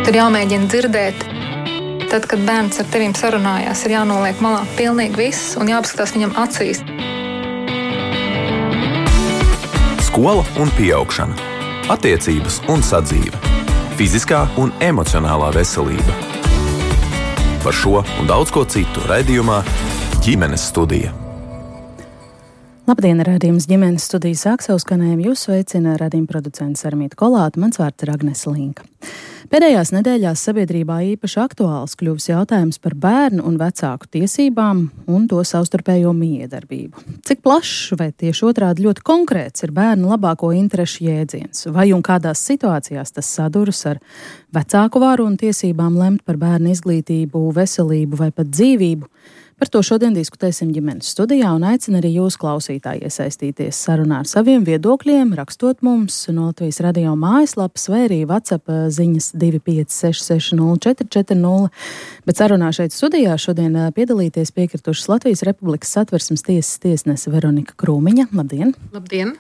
Tur jāmēģina dzirdēt. Tad, kad bērns ar tevīm sarunājās, ir jānoliek malā pilnīgi viss un jāpaskatās viņam acīs. Skola un pieaugšana. Attiecības un sadzīve. Fiziskā un emocionālā veselība. Par šo un daudz ko citu raidījumā Ģimenes studija. Labdien, raidījums Ģimenes studija sāk savu skanējumu. Jūs sveicina raidījuma producents Armīta Kolāte, mans vārds ir Agnese Linka. Pēdējās nedēļās sabiedrībā īpaši aktuāls kļuvis jautājums par bērnu un vecāku tiesībām un to savstarpējo miedarbību. Cik plašs vai tieši otrādi ļoti konkrēts ir bērnu labāko interešu jēdziens? Vai un kādās situācijās tas saduras ar vecāku varu un tiesībām lemt par bērnu izglītību, veselību vai pat dzīvību? Par to šodien diskutēsim Ģimenes studijā un aicinu arī jūs klausītāji iesaistīties sarunā ar saviem viedokļiem, rakstot mums no Latvijas radio mājaslapas vai arī WhatsApp ziņas 25660 bet sarunā šeit studijā šodien piedalīties piekritušas Latvijas Republikas Satversmes tiesas tiesnese Veronika Krūmiņa. Labdien! Labdien!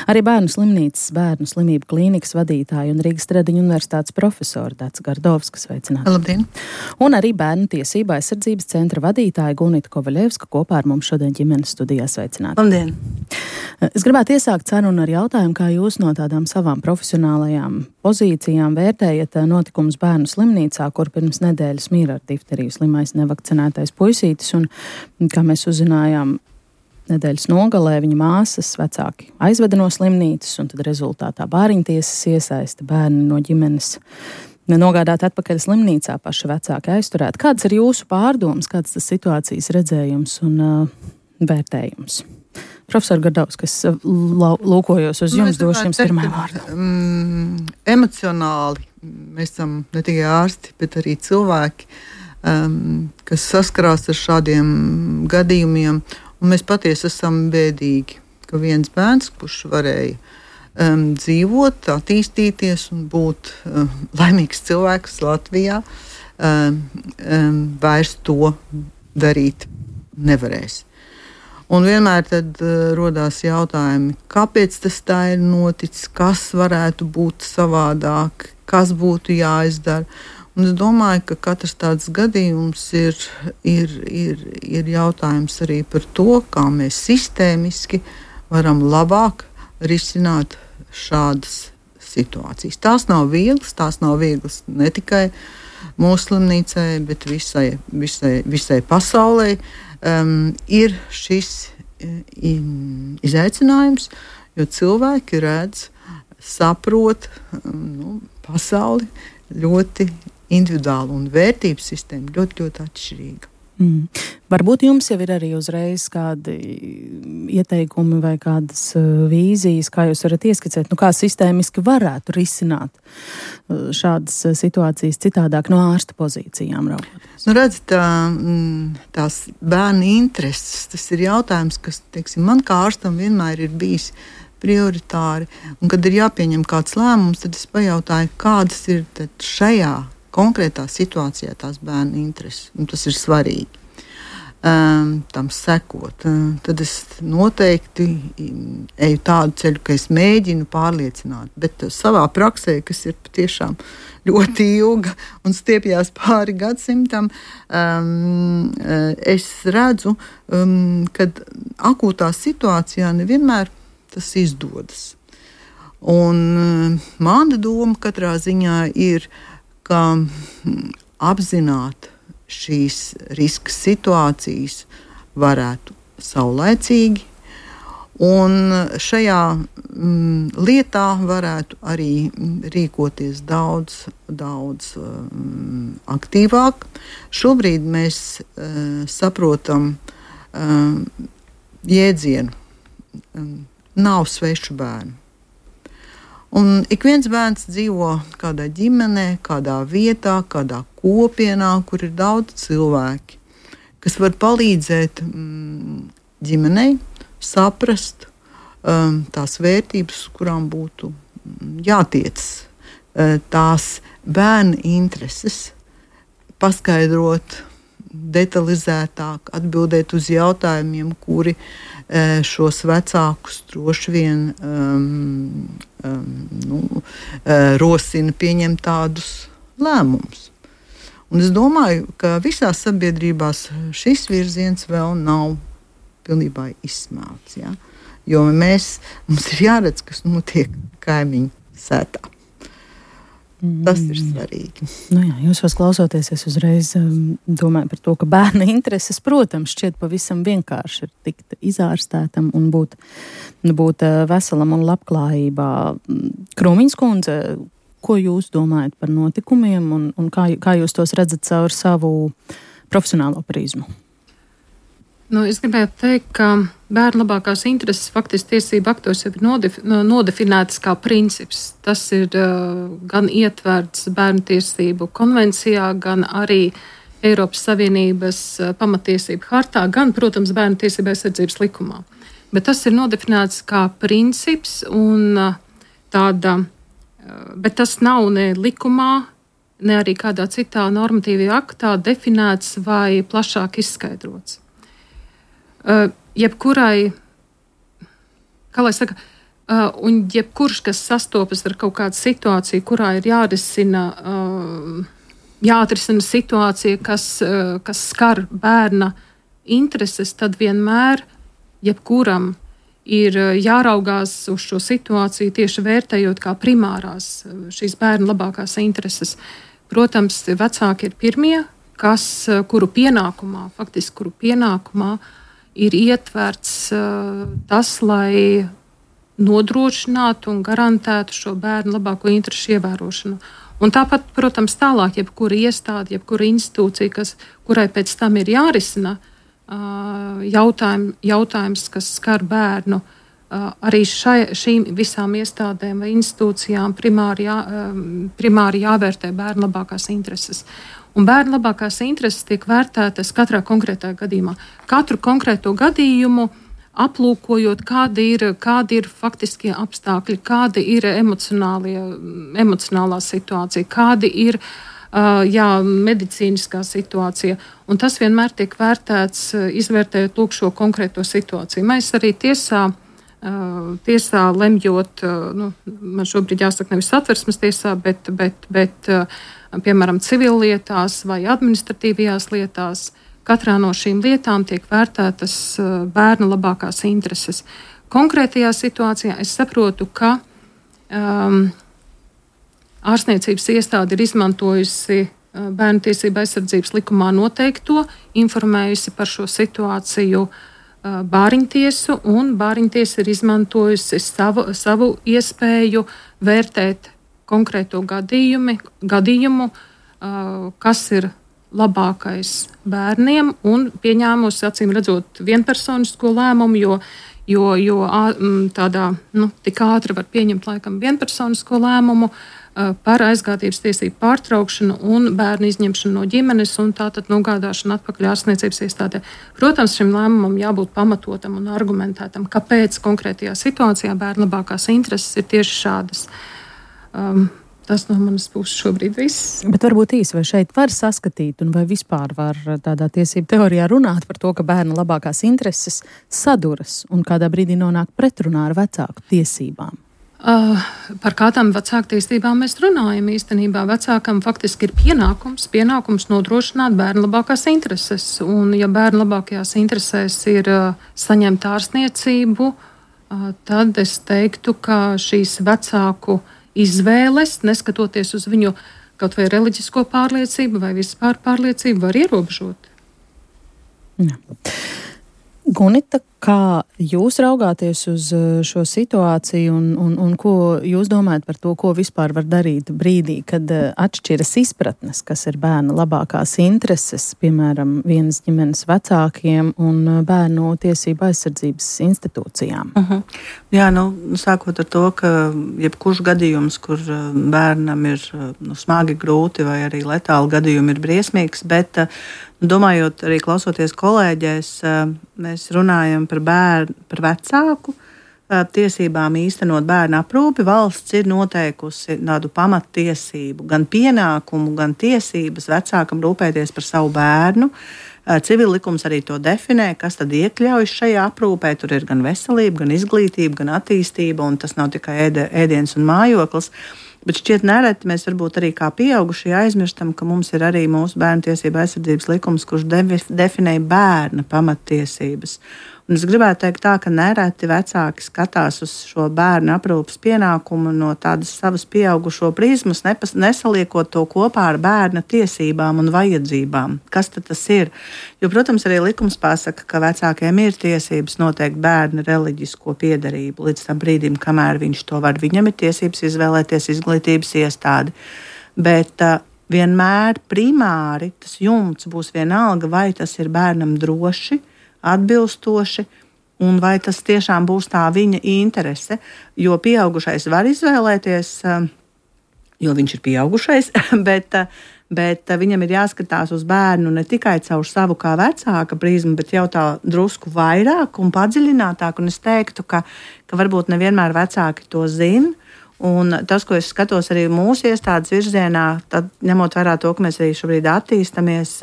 Arī Bērnu slimnīcas, Bērnu slimību klīnikas vadītāja un Rīgas Stradiņu universitātes profesora Dāca Gardovska, sveicināta. Labdien! Un arī Bērnu tiesību aizsardzības centra vadītāja Gunita Kovaļevska kopā ar mums šodien Ģimenes studijā, sveicināta. Labdien! Es gribētu iesākt sarunu ar jautājumu, kā jūs no tādām savām profesionālajām pozīcijām vērtējat notikumus Bērnu slimnīcā, kur pirms nedēļas mīra ar difteriju slimais nevakcinētais puisītis, un kā mēs uzzinājām, nedēļas nogalē viņa māsas vecāki aizveda no slimnīcas, un tad rezultātā bāriņtiesas iesaista bērni no ģimenes nogādāt atpakaļ slimnīcā, paši vecāki aizturēt. Kāds ir jūsu pārdoms, kāds tas situācijas redzējums un vērtējums? Profesor Gardovska, es lūkojos uz jums, došu jums pirmā vārdu. Emocionāli mēs esam ne tikai ārsti, bet arī cilvēki, kas saskarās ar šādiem gadījumiem, un mēs patiesi esam bēdīgi, ka viens bērns, kurš varēja dzīvot, attīstīties un būt laimīgs cilvēks Latvijā, vairs to darīt nevarēs. Un vienmēr tad rodās jautājumi, kāpēc tas tā ir noticis, kas varētu būt savādāk, kas būtu jāizdara. Un es domāju, ka katrs tāds gadījums ir jautājums arī par to, kā mēs sistēmiski varam labāk risināt šādas situācijas. Tās nav vieglas ne tikai mūsu slimnīcai, bet visai pasaulē. Ir šis izaicinājums, jo cilvēki redz, saprot pasauli ļoti individuāli un vērtības sistēma ļoti, ļoti atšķirīga. Varbūt jums jau ir arī uzreiz kādi ieteikumi vai kādas vīzijas, kā jūs varat ieskicēt, kā sistēmiski varētu risināt šādas situācijas citādāk no ārsta pozīcijām raugoties? Redzat, tās bērnu intereses, tas ir jautājums, kas, teiksim, man kā ārstam vienmēr ir bijis prioritāri, un kad ir jāpieņem kāds lēmums, tad es pajautāju, kādas ir šajā konkrētā situācijā tās bērnu intereses, un tas ir svarīgi tam sekot. Tad es noteikti eju tādu ceļu, ka es mēģinu pārliecināt, bet savā praksē, kas ir patiešām ļoti ilga un stiepjās pāri gadsimtam, es redzu, kad akūtā situācijā nevienmēr tas izdodas. Un mana doma katrā ziņā ir, ka apzināt šīs riska situācijas varētu saulaicīgi, un šajā lietā varētu arī rīkoties daudz aktīvāk. Šobrīd mēs saprotam jēdzienu nav svešu bērnu. Un ik viens bērns dzīvo kādā ģimenē, kādā vietā, kādā kopienā, kur ir daudz cilvēki, kas var palīdzēt ģimenei saprast tās vērtības, kurām būtu jātiec, tās bērna intereses, paskaidrot detalizētāk, atbildēt uz jautājumiem, kuri šos vecākus droši vien rosina pieņemt tādus lēmumus. Un es domāju, ka visās sabiedrībās šis virziens vēl nav pilnībā izsmelts. Ja? Jo mums ir jāredz, kas notiek kaimiņu sētā. Tas ir svarīgi. Nu jā, jūs klausoties, es uzreiz domāju par to, ka bērna intereses, protams, šķiet pavisam vienkārši ir tikt izārstētam un būt veselam un labklājībā. Krūmiņas kundze, ko jūs domājat par notikumiem un kā jūs tos redzat caur savu profesionālo prizmu? Es gribētu teikt, ka bērnu labākās intereses faktiski tiesību aktos jau ir nodefinētas kā princips. Tas ir gan ietverts bērnu tiesību konvencijā, gan arī Eiropas Savienības pamatiesību hartā, gan, protams, bērnu tiesību aizsardzības likumā. Bet tas ir nodefinēts kā princips un bet tas nav ne likumā, ne arī kādā citā normatīvajā aktā definēts vai plašāk izskaidrots. Jebkurai, kā lai saka, un jebkurš, kas sastopas ar kaut kādu situāciju, kurā ir jāatrisina situācija, kas skar bērna intereses, tad vienmēr jebkuram ir jāraugās uz šo situāciju tieši vērtējot kā primārās šīs bērna labākās intereses. Protams, vecāki ir pirmie, kuru pienākumā ir ietverts tas, lai nodrošinātu un garantētu šo bērnu labāko interešu ievērošanu. Un tāpat, protams, tālāk, jebkura iestāde, jebkura institūcija, kurai pēc tam ir jārisina jautājums, kas skar bērnu, arī šīm visām iestādēm vai institūcijām primāri jāvērtē bērnu labākās intereses. Un bērnu labākās intereses tiek vērtētas katrā konkrētā gadījumā. Katru konkrēto gadījumu aplūkojot, kādi ir faktiskie apstākļi, kāda ir emocionālā situācija, kādi ir medicīniskā situācija. Un tas vienmēr tiek vērtēts, izvērtējot šo konkrēto situāciju. Mēs arī tiesā lemjot, man šobrīd jāsaka nevis Satversmes tiesā, bet piemēram, civillietās vai administratīvajās lietās, katrā no šīm lietām tiek vērtētas bērna labākās intereses. Konkrētajā situācijā es saprotu, ka ārstniecības iestāde ir izmantojusi bērnu tiesību aizsardzības likumā noteikto, informējusi par šo situāciju bāriņtiesu, un bāriņtiesa ir izmantojusi savu iespēju vērtēt konkrēto gadījumu, kas ir labākais bērniem, un pieņēmusi, acīm redzot, vienpersonisko lēmumu, jo tādā tik ātri var pieņemt laikam vienpersonisko lēmumu par aizgādības tiesību pārtraukšanu un bērnu izņemšanu no ģimenes un tātad nogādāšanu atpakaļ ārstniecības iestādē. Protams, šim lēmumam jābūt pamatotam un argumentētam, kāpēc konkrētajā situācijā bērnu labākās intereses ir tieši šādas. Tas no manas puses šobrīd viss. Bet varbūt īsi, vai šeit var saskatīt un vai vispār var tādā tiesību teorijā runāt par to, ka bērna labākās intereses saduras un kādā brīdī nonāk pretrunā ar vecāku tiesībām? Par kādām vecāku tiesībām mēs runājam? Īstenībā vecākam faktiski ir pienākums nodrošināt bērnu labākās intereses. Un ja bērnu labākajās interesēs ir saņemt ārstniecību, tad es teiktu, ka šīs vecāku izvēles, neskatoties uz viņu kaut vai reliģisko pārliecību vai vispār pārliecību, var ierobežot. Jā. Gunita, kā jūs raugāties uz šo situāciju un ko jūs domājat par to, ko vispār var darīt brīdī, kad atšķiras izpratnes, kas ir bērna labākās intereses, piemēram, vienas ģimenes vecākiem un bērnu tiesību aizsardzības institūcijām? Jā, sākot ar to, ka jebkurš gadījums, kur bērnam ir smagi, grūti vai arī letāli gadījumi ir briesmīgs, bet domājot arī klausoties kolēģēs, mēs runājam par vecāku tiesībām īstenot bērnu aprūpi. Valsts ir noteikusi tādu pamattiesību, gan pienākumu, gan tiesības vecākam rūpēties par savu bērnu. Civillikums arī to definē, kas tad iekļaujas šajā aprūpē. Tur ir gan veselība, gan izglītība, gan attīstība, un tas nav tikai ēdiens un mājoklis. Bet šķiet nereti mēs varbūt arī kā pieaugušie aizmirstam, ka mums ir arī mūsu bērnu tiesība aizsardzības likums, kurš definē bērna pamattiesības. Un es gribētu teikt tā, ka nereti vecāki skatās uz šo bērnu aprūpas pienākumu no tādas savas pieaugušo prizmas, nesaliekot to kopā ar bērna tiesībām un vajadzībām. Kas tad tas ir? Jo, protams, arī likums pasaka, ka vecākiem ir tiesības noteikt bērna reliģisko piederību līdz tam brīdim, kamēr viņš to var. Viņam ir tiesības izvēlēties izglītības iestādi. Bet vienmēr primāri tas jumts būs vienalga, vai tas ir bērnam droši, atbilstoši, un vai tas tiešām būs tā viņa interese. Jo pieaugušais var izvēlēties, jo viņš ir pieaugušais, bet viņam ir jāskatās uz bērnu ne tikai caur savu kā vecāka prizmu, bet jau tā drusku vairāk un padziļinātāk. Un es teiktu, ka varbūt nevienmēr vecāki to zina. Un tas, ko es skatos arī mūsu iestādes virzienā, tad ņemot vērā to, ka mēs arī šobrīd attīstamies,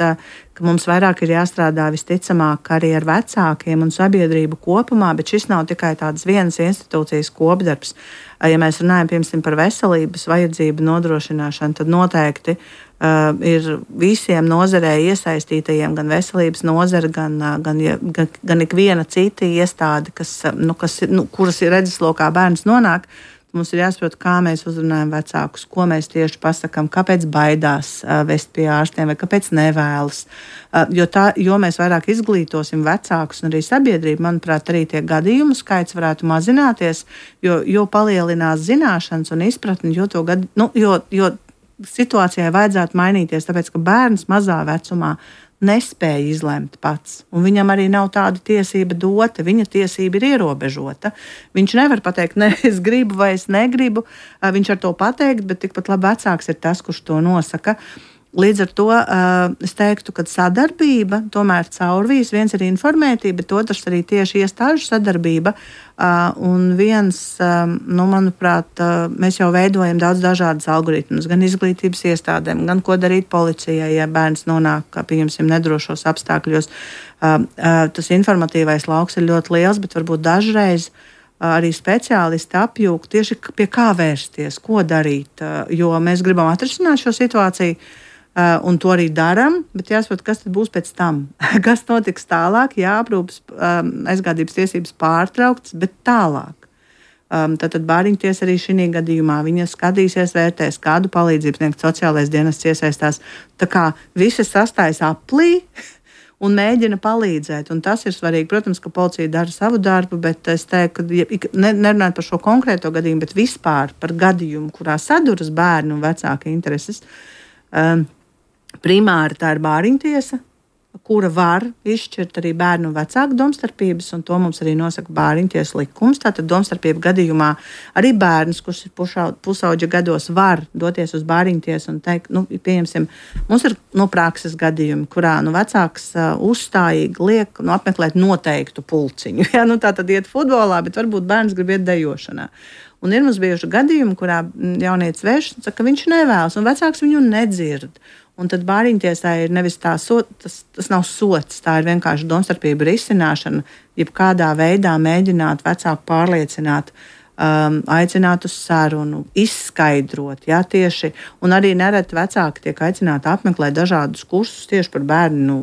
ka mums vairāk ir jāstrādā visticamāk arī ar vecākiem un sabiedrību kopumā, bet šis nav tikai tādas vienas institūcijas kopdarbs. Ja mēs runājam, piemēram, par veselības vajadzību nodrošināšanu, tad noteikti ir visiem nozarē iesaistītajiem, gan veselības nozara, gan ikviena cita iestāde, kuras ir redzeslokā bērns nonāk. Mums ir jāsaprot, kā mēs uzrunājam vecākus, ko mēs tieši pasakām, kāpēc baidās vest pie ārstiem vai kāpēc nevēlas. Jo mēs vairāk izglītosim vecākus un arī sabiedrību, manuprāt, arī tie gadījumu skaits varētu mazināties, jo palielinās zināšanas un izpratni, jo situācijai vajadzētu mainīties, tāpēc, ka bērns mazā vecumā nespēja izlemt pats, un viņam arī nav tāda tiesība dota, viņa tiesība ir ierobežota. Viņš nevar pateikt, ne, es gribu vai es negribu, viņš ar to pateikt, bet tikpat labi vecāks ir tas, kurš to nosaka. Līdz ar to es teiktu, ka sadarbība tomēr caurvīs, viens ir informētība, bet otrs arī tieši iestāžu sadarbība. Un viens, manuprāt, mēs jau veidojam daudz dažādas algoritmus, gan izglītības iestādēm, gan ko darīt policijai, ja bērns nonāk, pieņemsim, nedrošos apstākļos. Tas informatīvais lauks ir ļoti liels, bet varbūt dažreiz arī speciālisti apjūg tieši pie kā vērsties, ko darīt, jo mēs gribam atrisināt šo situāciju. Un to arī darām, bet jāsaprot, kas tad būs pēc tam. Kas notiks tālāk, aprūpes aizgādības tiesības pārtrauktas, bet tālāk. Tātad bāriņtiesa arī šī gadījumā viņa skatīsies, vērtēs, kādu palīdzību sniegt, sociālais dienests iesaistās. Tā kā visi sastājas aplī un mēģina palīdzēt. Un tas ir svarīgi. Protams, ka policija dara savu darbu, bet es teiktu, ka nerunājot par šo konkrēto gadījumu, bet vispār par gadījumu, kurā saduras bērnu un vecāka intereses. Primāri tā ir bāriņtiesa, kura var izšķirt arī bērnu un vecāku domstarpības, un to mums arī nosaka bāriņtiesas likums. Tātad domstarpību gadījumā arī bērns, kurš ir pusauģa gados, var doties uz bāriņtiesu un teikt, pieņemsim, mums ir prakses gadījumi, kurā vecāks uzstājīgi liek apmeklēt noteiktu pulciņu. Tātad iet futbolā, bet varbūt bērns grib iet dejošanā. Un ir mums bijuši gadījumi, kurā jaunietis vērš un saka, ka viņš nevēlas, un vecāks viņu nedzird. Un tad bāriņtiesā ir nevis tas nav sots, tā ir vienkārši domstarpību risināšana, jebkādā veidā mēģināt vecāku pārliecināt, aicināt uz sarunu, izskaidrot, tieši, un arī nereti vecāki tiek aicināti apmeklēt dažādus kursus tieši par bērnu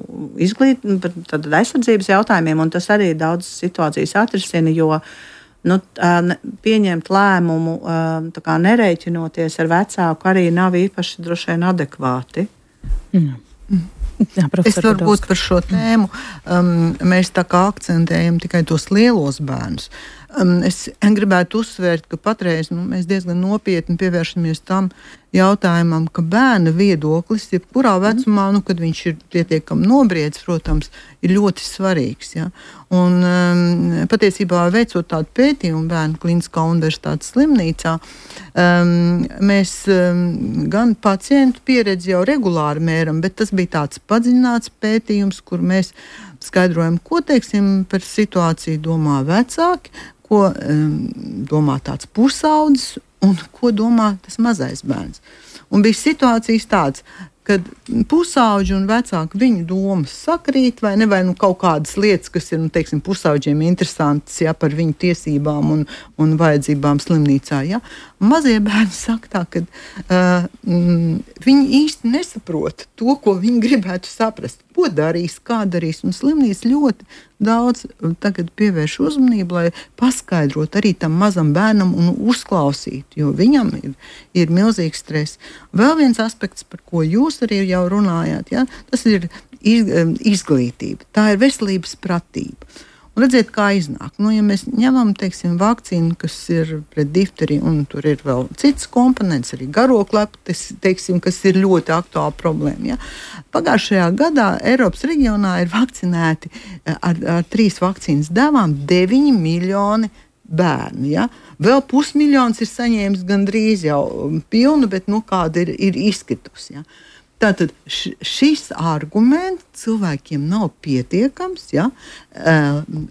par aizsardzības jautājumiem, un tas arī daudz situācijas atrisina, jo pieņemt lēmumu, nerēķinoties ar vecāku, arī nav īpaši droši vien adekvāti. Jā, es varbūt par šo tēmu mēs tā kā akcentējam tikai tos lielos bērnus. Es gribētu uzsvērt, ka patreiz mēs diezgan nopietni pievēršamies tam jautājumam, ka bērna viedoklis, jebkurā vecumā, kad viņš ir pietiekami nobriedis, protams, ir ļoti svarīgs. Ja? Un patiesībā veicot tādu pētījumu Bērnu Kliniskā universitātes slimnīcā, mēs gan pacientu pieredzi jau regulāri mēram, bet tas bija tāds padziļināts pētījums, kur mēs skaidrojam, ko, teiksim, par situāciju domā vecāki, ko domā tāds pusaudzis un ko domā tas mazais bērns. Un bija situācijas tādas, kad pusauģi un vecāki viņu domas sakrīt, vai ne, vai kaut kādas lietas, kas ir, teiksim, pusauģiem interesantas, par viņu tiesībām un vajadzībām slimnīcā, Mazie bērni saka tā, ka viņi īsti nesaprot to, ko viņi gribētu saprast. Ko darīs, kā darīs, un slimnīca ļoti daudz tagad pievērš uzmanību, lai paskaidrotu arī tam mazam bērnam un uzklausītu, jo viņam ir milzīgs stress. Vēl viens aspekts, par ko jūs arī jau runājāt, tas ir izglītība. Tā ir veselības pratība. Un redziet, kā iznāk. Ja mēs ņemam, teiksim, vakcīnu, kas ir pret difteriju, un tur ir vēl cits komponents, arī garokleptes, teiksim, kas ir ļoti aktuāla problēma. Pagājušajā gadā Eiropas reģionā ir vakcinēti ar 3 vakcīnas devām 9 miljoni bērni. Vēl 500 000 ir saņēmis gandrīz jau pilnu, bet kāda ir izkritusi. Tātad šis arguments cilvēkiem nav pietiekams,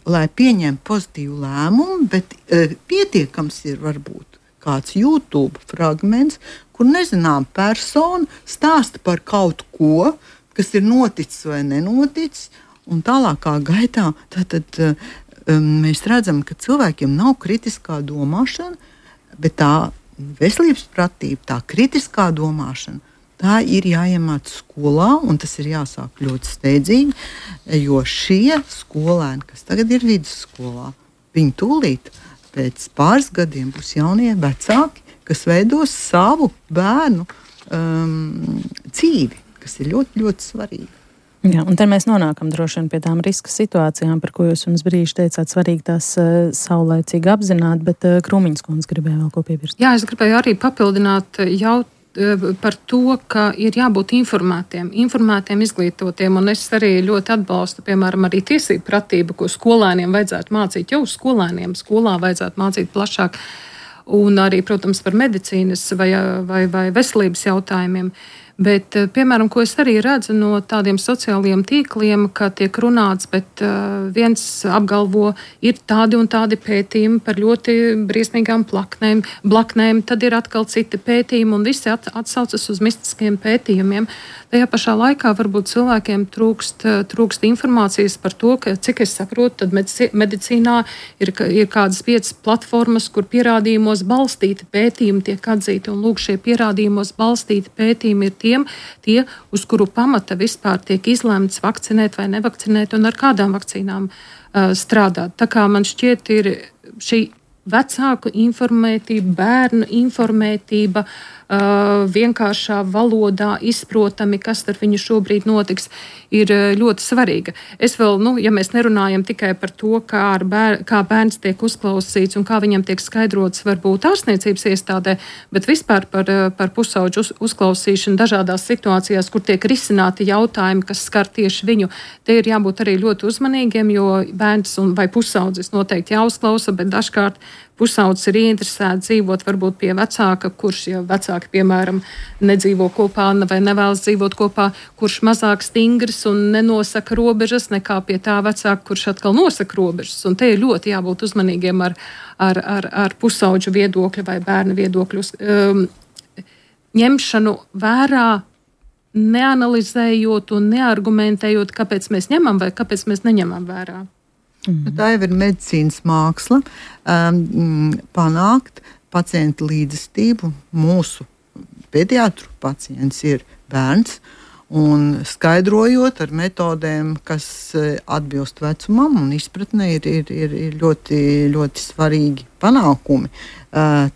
lai pieņemtu pozitīvu lēmumu, bet pietiekams ir varbūt kāds YouTube fragments, kur nezinām persona stāsta par kaut ko, kas ir noticis vai nenoticis, un tālākā gaitā mēs redzam, ka cilvēkiem nav kritiskā domāšana, bet tā veselības pratība, tā kritiskā domāšana, tā ir jāiemāc skolā, un tas ir jāsāk ļoti steidzīgi, jo šie skolēni, kas tagad ir vidusskolā, viņi tūlīt pēc pāris gadiem būs jaunie vecāki, kas veidos savu bērnu dzīvi, kas ir ļoti, ļoti svarīgi. Jā, un te mēs nonākam droši vien pie tām riska situācijām, par ko jūs mums brīži teicāt, svarīgi tās saulaicīgi apzināt, bet Krūmiņas kundze gribēja vēl ko pievērst. Jā, es gribēju arī papildināt par to, ka ir jābūt informētiem, izglītotiem, un es arī ļoti atbalstu, piemēram, arī tiesību pratību, ko skolēniem vajadzētu mācīt, jau skolēniem skolā vajadzētu mācīt plašāk, un arī, protams, par medicīnas vai veselības jautājumiem. Bet, piemēram, ko es arī redzu no tādiem sociālajiem tīkliem, ka tiek runāts, bet viens apgalvo, ir tādi un tādi pētījumi par ļoti briesmīgām blaknēm, tad ir atkal citi pētījumi, un visi atsaucas uz mistiskiem pētījumiem. Tajā pašā laikā varbūt cilvēkiem trūkst informācijas par to, ka, cik es saprotu, tad medicīnā ir kādas 5 platformas, kur pierādījumos balstīti pētījumi tiek atzīti, un lūk, šie pierādījumos balstīti pētījumi ir tie, uz kuru pamata vispār tiek izlemts vakcinēt vai nevakcinēt un ar kādām vakcīnām strādāt. Tā kā man šķiet ir šī vecāku informētība, bērnu informētība, vienkāršā valodā izprotami, kas ar viņu šobrīd notiks, ir ļoti svarīga. Es vēl, ja mēs nerunājam tikai par to, kā bērns tiek uzklausīts un kā viņam tiek skaidrots varbūt ārstniecības iestādē, bet vispār par pusauģu uzklausīšanu dažādās situācijās, kur tiek risināti jautājumi, kas skar tieši viņu. Te ir jābūt arī ļoti uzmanīgiem, jo bērns vai pusaudzis noteikti jāuzklausa, bet dažkārt pusaudzis ir ieinteresēts dzīvot varbūt pie vecāka, kurš, ja vecāki, piemēram, nedzīvo kopā vai nevēlas dzīvot kopā, kurš mazāk stingrs un nenosaka robežas nekā pie tā vecāka, kurš atkal nosaka robežas. Un te ir ļoti jābūt uzmanīgiem ar pusauģu viedokļu vai bērnu viedokļu ņemšanu vērā, neanalizējot un neargumentējot, kāpēc mēs ņemam vai kāpēc mēs neņemam vērā. Tā jau ir medicīnas māksla, panākt pacienta līdzestību. Mūsu pediatru pacients ir bērns, un skaidrojot ar metodēm, kas atbilst vecumam un izpratnē, ir ļoti, ļoti svarīgi panākumi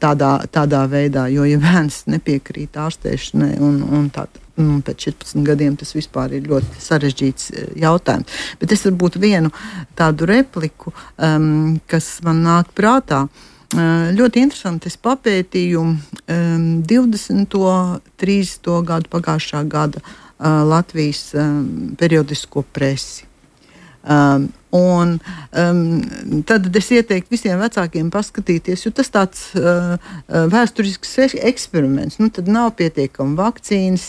tādā veidā, jo ja bērns nepiekrīt ārstēšanai un tādā. Pēc 14 gadiem tas vispār ir ļoti sarežģīts jautājums. Bet es varbūt vienu tādu repliku, kas man nāk prātā. Ļoti interesanti, es papētīju 20. 30. gadu pagājušā gada Latvijas periodisko presi. Tad es ieteiktu visiem vecākiem paskatīties, jo tas tāds vēsturisks eksperiments. Tad nav pietiekami vakcīnas,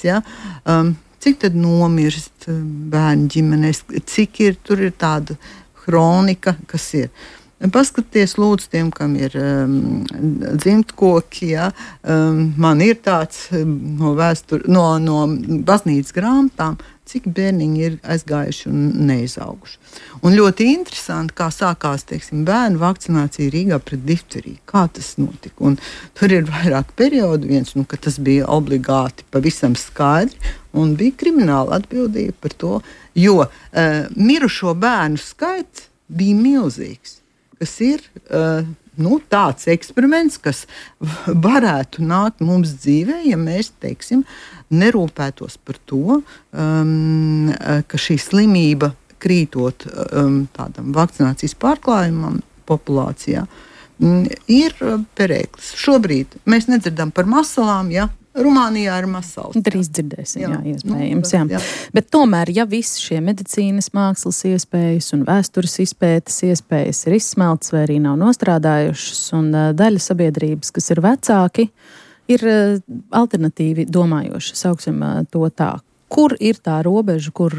cik tad nomirst bērnu ģimenēs, cik tur ir tāda hronika, kas ir. Paskaties, lūdzu, tiem, kam ir dzimtkoki, ja, man ir tāds no baznīcas grāmatām, cik bērniņi ir aizgājuši un neizauguši. Un ļoti interesanti, kā sākās, teiksim, bērnu vakcinācija Rīgā pret difteriju. Kā tas notika? Un tur ir vairāk periodu. Viens, ka tas bija obligāti pavisam skaidri, un bija krimināla atbildība par to, jo mirušo bērnu skaits bija milzīgs. Kas ir tāds eksperiments, kas varētu nākt mums dzīvē, ja mēs, teiksim, nerūpētos par to, ka šī slimība krītot tādam vakcinācijas pārklājumam populācijā ir perēklis. Šobrīd mēs nedzirdam par masalām, ja? Rumānijā ir masals. Drīz dzirdēsim, jā, iespējams. Jā. Bet tomēr, ja visi šie medicīnas mākslas iespējas un vēstures izpētes iespējas ir izsmeltas vai arī nav nostrādājušas, un daļa sabiedrības, kas ir vecāki, ir alternatīvi domājoši, sauksim to tā. Kur ir tā robeža, kur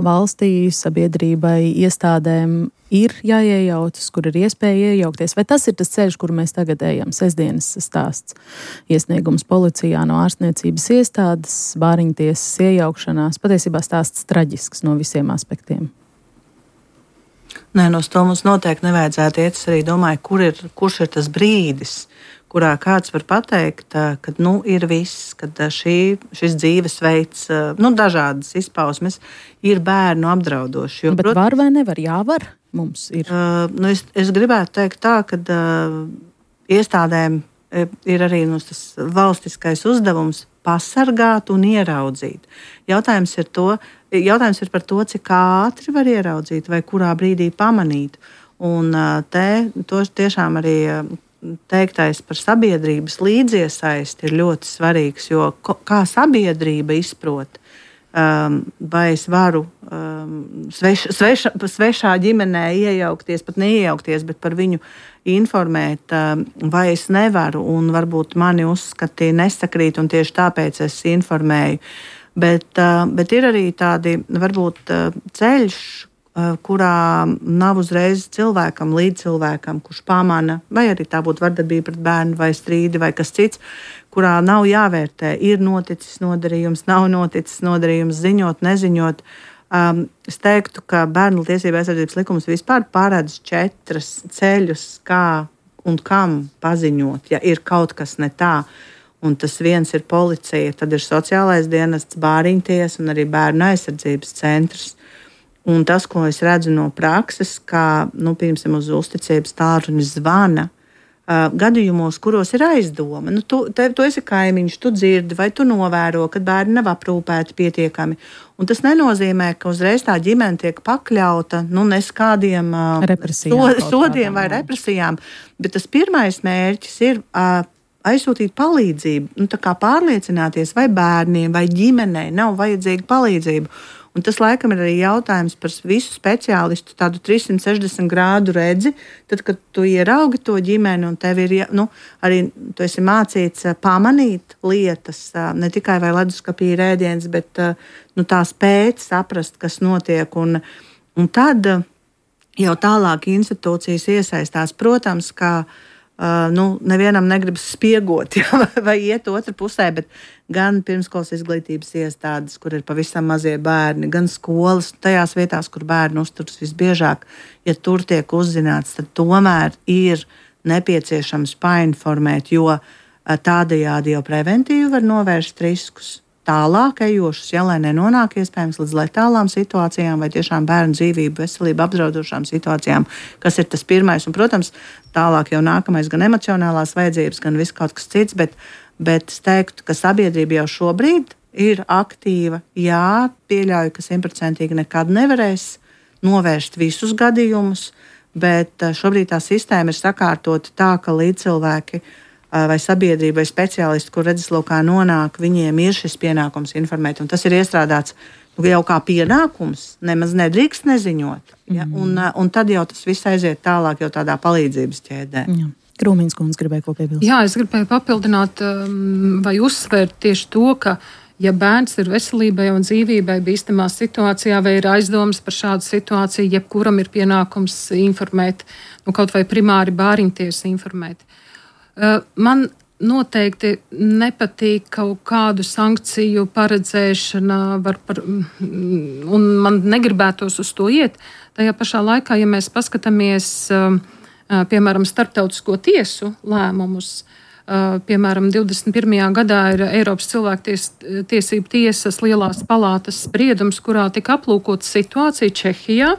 valstī, sabiedrībai, iestādēm ir jāiejaucas, kur ir iespēja iejaukties? Vai tas ir tas ceļš, kur mēs tagad ejam? Sestdienas stāsts, iesniegums policijā no ārstniecības iestādes, bāriņtiesas iejaukšanās. Patiesībā stāsts traģisks no visiem aspektiem. Nē, no to mums noteikti nevajadzētu iet. Es arī domāju, kurš ir tas brīdis, kurā kāds var pateikt, ka ir viss, ka šis dzīvesveids, dažādas izpausmes ir bērnu apdraudoši. Bet var vai nevar? Jāvar mums ir. Es gribētu teikt tā, ka iestādēm ir arī tas valstiskais uzdevums pasargāt un ieraudzīt. Jautājums ir par to, cik ātri var ieraudzīt vai kurā brīdī pamanīt. Un to tiešām arī teiktais par sabiedrības līdziesaisti ir ļoti svarīgs, jo kā sabiedrība izprot, vai es varu svešā ģimenē iejaukties, pat neiejaukties, bet par viņu informēt, vai es nevaru, un varbūt mani uzskatīja nesakrīt, un tieši tāpēc es informēju. Bet ir arī tādi, varbūt, ceļš, kurā nav uzreiz cilvēkam, līdz cilvēkam, kurš pamana, vai arī tā būtu vardarbība pret bērnu, vai strīdi, vai kas cits, kurā nav jāvērtē, ir noticis nodarījums, nav noticis nodarījums, ziņot, neziņot. Es teiktu, ka Bērnu tiesību aizsardzības likums vispār paredz 4 ceļus, kā un kam paziņot, ja ir kaut kas ne tā. Un tas viens ir policija, tad ir sociālais dienests, bāriņtiesa un arī bērnu aizsardzības centrs. Un tas, ko es redzu no prakses, kā, piemēram, uz uzticības tālruni zvana, gadījumos, kuros ir aizdoma. Tu esi kaimiņš, tu dzirdi vai tu novēro, ka bērni nav aprūpēti pietiekami. Un tas nenozīmē, ka uzreiz tā ģimene tiek pakļauta neskādiem sodiem vai represijām. Bet tas pirmais mērķis ir aizsūtīt palīdzību, tā kā pārliecināties, vai bērniem vai ģimenei nav vajadzīga palīdzība. Un tas, laikam, ir arī jautājums par visu speciālistu tādu 360 grādu redzi, tad, kad tu ieraugi to ģimeni un tev ir, arī tu esi mācīts pamanīt lietas, ne tikai vai leduskapī ir ēdiens, bet tā spēt saprast, kas notiek. Un tad jau tālāk institūcijas iesaistās, protams, kā nevienam negribas spiegot vai iet otrā pusē, bet gan pirmskolas izglītības iestādes, kur ir pavisam mazie bērni, gan skolas, tajās vietās, kur bērni uzturas visbiežāk, ja tur tiek uzzināts, tad tomēr ir nepieciešams painformēt, jo tādējādi jau preventīvi var novērst riskus. Tālāk ejošus, lai nenonāk iespējams līdz letālām situācijām vai tiešām bērnu dzīvību, veselību apdraudošām situācijām, kas ir tas pirmais. Un, protams, tālāk jau nākamais gan emocionālās vajadzības, gan viss kaut kas cits, bet es teiktu, ka sabiedrība jau šobrīd ir aktīva. Jā, pieļauju, ka 100% nekad nevarēs novērst visus gadījumus, bet šobrīd tā sistēma ir sakārtota tā, ka līdzcilvēki vai sabiedrība vai speciālisti, kur redzeslokā nonāk, viņiem ir šis pienākums informēt. Un tas ir iestrādāts jau kā pienākums, nemaz nedrīkst neziņot. Ja? Un tad jau tas viss aiziet tālāk jau tādā palīdzības ķēdē. Jā. Krūmiņas kundze gribēja ko piebilst. Jā, es gribēju papildināt vai uzsvērt tieši to, ka ja bērns ir veselībai un dzīvībai bīstamā situācijā vai ir aizdomas par šādu situāciju, jebkuram ir pienākums informēt, kaut vai primāri bāriņtiesu informēt. Man noteikti nepatīk kaut kādu sankciju paredzēšana, un man negribētos uz to iet. Tajā pašā laikā, ja mēs paskatāmies, piemēram, starptautisko tiesu lēmumus, piemēram, 21. gadā ir Eiropas cilvēktiesību tiesas lielās palātas spriedums, kurā tika aplūkota situācija Čehijā.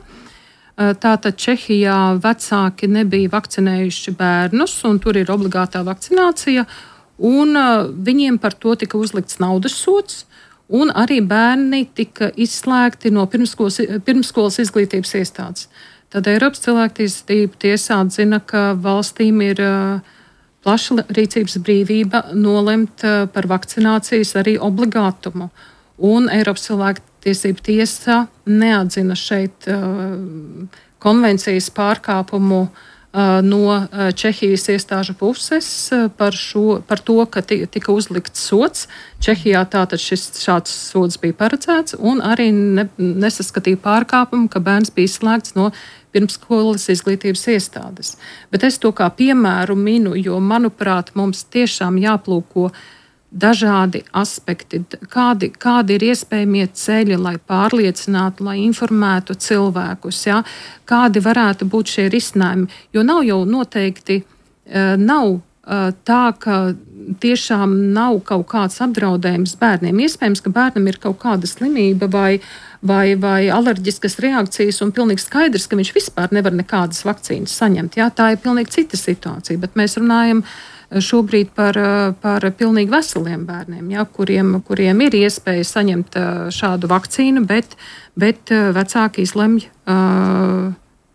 Tātad Čehijā vecāki nebija vakcinējuši bērnus, un tur ir obligātā vakcinācija, un viņiem par to tika uzlikts naudas sods, un arī bērni tika izslēgti no pirmskolas izglītības iestādes. Tad Eiropas cilvēktiesību tiesā atzina, ka valstīm ir plaša rīcības brīvība nolemt par vakcinācijas arī obligātumu. Un Eiropas cilvēktiesību tiesa neatzina šeit konvencijas pārkāpumu no Čehijas iestāžu puses par to, ka tika uzlikts sods. Čehijā tātad šāds sods bija paredzēts, un arī nesaskatīja pārkāpumu, ka bērns bija izslēgts no pirmskolas izglītības iestādes. Bet es to kā piemēru minu, jo, manuprāt, mums tiešām jāplūko dažādi aspekti, kādi ir iespējamie ceļi, lai pārliecinātu, lai informētu cilvēkus, ja? Kādi varētu būt šie risinājumi. Jo nav jau noteikti, nav tā, ka tiešām nav kaut kāds apdraudējums bērniem. Iespējams, ka bērnam ir kaut kāda slimība vai alerģiskas reakcijas, un pilnīgi skaidrs, ka viņš vispār nevar nekādas vakcīnas saņemt. Jā, tā ir pilnīgi cita situācija, bet mēs runājam šobrīd par pilnīgi veseliem bērniem, jā, kuriem ir iespēja saņemt šādu vakcīnu, bet vecāki izlemj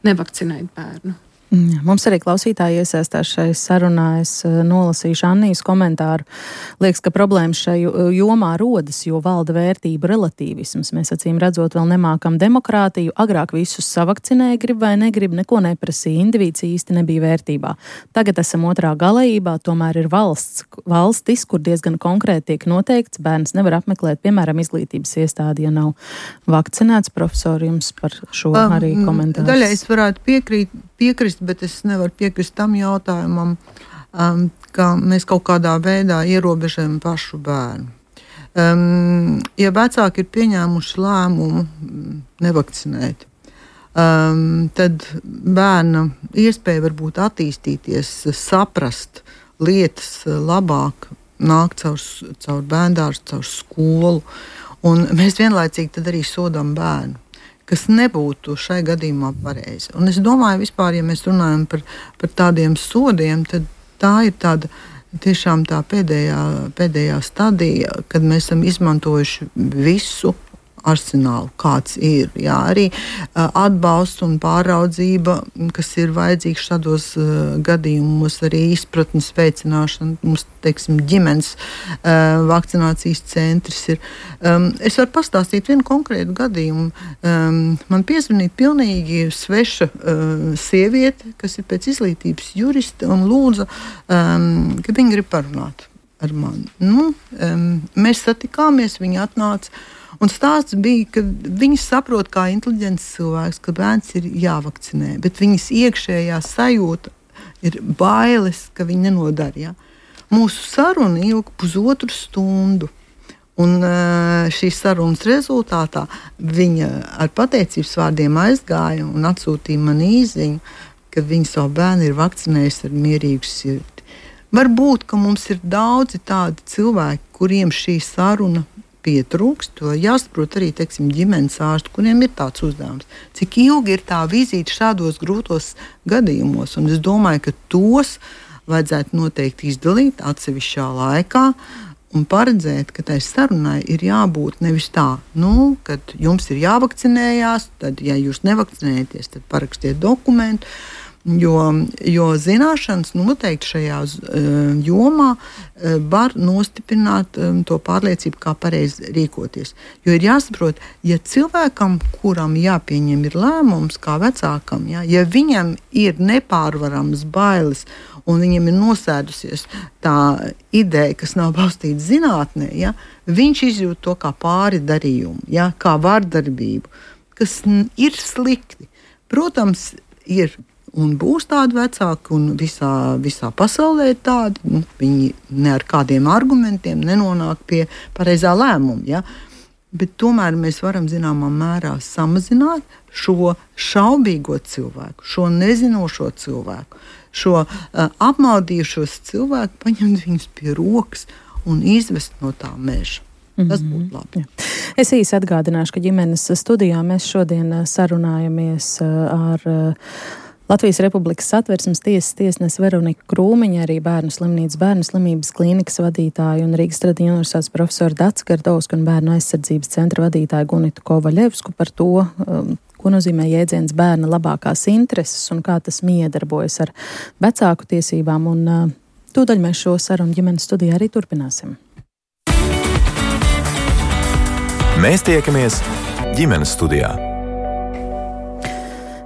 nevakcinēt bērnu. Mums arī klausītāji iesaistās šai sarunā. Es nolasīšu Annijas komentāru. Liekas, ka problēmas šai jomā rodas, jo valda vērtību relativisms. Mēs acīm redzot vēl nemākam demokrātiju. Agrāk visus savakcinēja, grib vai negrib, neko neprasīja. Indivīds īsti nebija vērtībā. Tagad esam otrā galējībā, tomēr ir valstis, kur diezgan konkrēti tiek noteikts, bērns nevar apmeklēt, piemēram, izglītības iestādi, ja nav vakcinēts. Profesor, jums par šo arī komentārs. Daļai es varētu piekrist, bet es nevaru piekrist tam jautājumam, ka mēs kaut kādā veidā ierobežojam pašu bērnu. Ja vecāki ir pieņēmuši lēmumu nevakcinēt, tad bērna iespēja varbūt attīstīties, saprast lietas labāk, nāk caur bērndārzu, caur skolu, un mēs vienlaicīgi tad arī sodam bērnu, kas nebūtu šai gadījumā pareizi. Un es domāju, vispār, ja mēs runājam par tādiem sodiem, tad tā ir tāda tiešām tā pēdējā stadija, kad mēs esam izmantojuši visu arsenālu, kāds ir. Jā, arī atbalsts un pāraudzība, kas ir vajadzīgs šādos gadījumos, arī izpratnes veicināšana. Mums, teiksim, ģimenes vakcinācijas centrs ir. Es varu pastāstīt vienu konkrētu gadījumu. Man piezvanīja pilnīgi sveša sieviete, kas ir pēc izglītības juriste, un lūdza, ka viņa grib parunāt ar mani. Mēs satikāmies, viņa atnāca. Un stāsts bija, ka viņas saprot kā inteliģents cilvēks, ka bērns ir jāvakcinē, bet viņas iekšējā sajūta ir bailes, ka viņi nenodara. Ja? Mūsu saruna ilga 1,5 stundu. Un šīs sarunas rezultātā viņa ar pateicības vārdiem aizgāja un atsūtīja man īziņu, ka viņa savu bērnu ir vakcinējusi ar mierīgu sirdi. Varbūt, ka mums ir daudzi tādi cilvēki, kuriem šī saruna pietrūkst, to jāsaprot arī, teiksim, ģimenes ārsti, kuriem ir tāds uzdevums. Cik ilgi ir tā vizīte šādos grūtos gadījumos, un es domāju, ka tos vajadzētu noteikti izdalīt atsevišķā laikā un paredzēt, ka tai sarunai ir jābūt nevis tā, kad jums ir jāvakcinējās, tad, ja jūs nevakcinējaties, tad parakstiet dokumentu, Jo zināšanas noteikti šajā jomā var nostiprināt to pārliecību, kā pareizi rīkoties. Jo ir jāsaprot, ja cilvēkam, kuram jāpieņem ir lēmums, kā vecākam, ja viņam ir nepārvarams bailes un viņam ir nosēdusies tā ideja, kas nav balstīta zinātnē, viņš izjūt to kā pāri darījumu, kā vardarbību, kas ir slikti. Protams, ir un būs tādi vecāki, un visā pasaulē ir tādi. Viņi ne ar kādiem argumentiem nenonāk pie pareizā lēmuma. Bet tomēr mēs varam zināmā mērā samazināt šo šaubīgo cilvēku, šo nezinošo cilvēku, šo apmaldījušos cilvēku, paņemt viņus pie rokas un izvest no tā meža. Tas būtu labi. Es īsi atgādināšu, ka ģimenes studijā mēs šodien sarunājamies ar Latvijas Republikas Satversmes tiesas tiesnesi Veroniku Krūmiņu, arī Bērnu slimnīcas Bērnu slimības klīnikas vadītāju un Rīgas Tradiņu universitātes profesoru Daci Gardovsku un Bērnu aizsardzības centra vadītāju Gunitu Kovaļevsku par to, ko nozīmē jēdziens bērna labākās intereses un kā tas miedarbojas ar vecāku tiesībām. Un tūdaļ mēs šo sarunu ģimenes studijā arī turpināsim. Mēs tiekamies ģimenes studijā.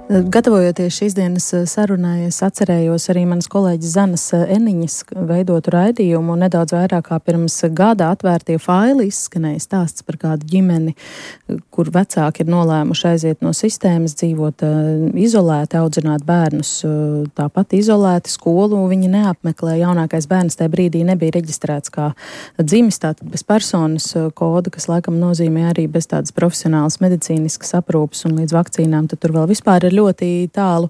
Gatavojoties šīs dienas sarunai, es atcerējos arī manas kolēģis Zanas Eniņas veidotu raidījumu, un nedaudz vairāk kā pirms gada atvērtie faili izskanēja stāsts par kādu ģimeni, kur vecāki ir nolēmuši aiziet no sistēmas, dzīvot izolēti, audzināt bērnus tāpat izolēti, skolu viņi neapmeklē. Jaunākais bērns tajā brīdī nebija reģistrēts kā dzimis, tātad bez personas koda, kas laikam nozīmē arī bez tādas profesionālas medicīniskas aprūpes un līdz vakcīnām, tad tur vēl vispār ir ļoti tālu.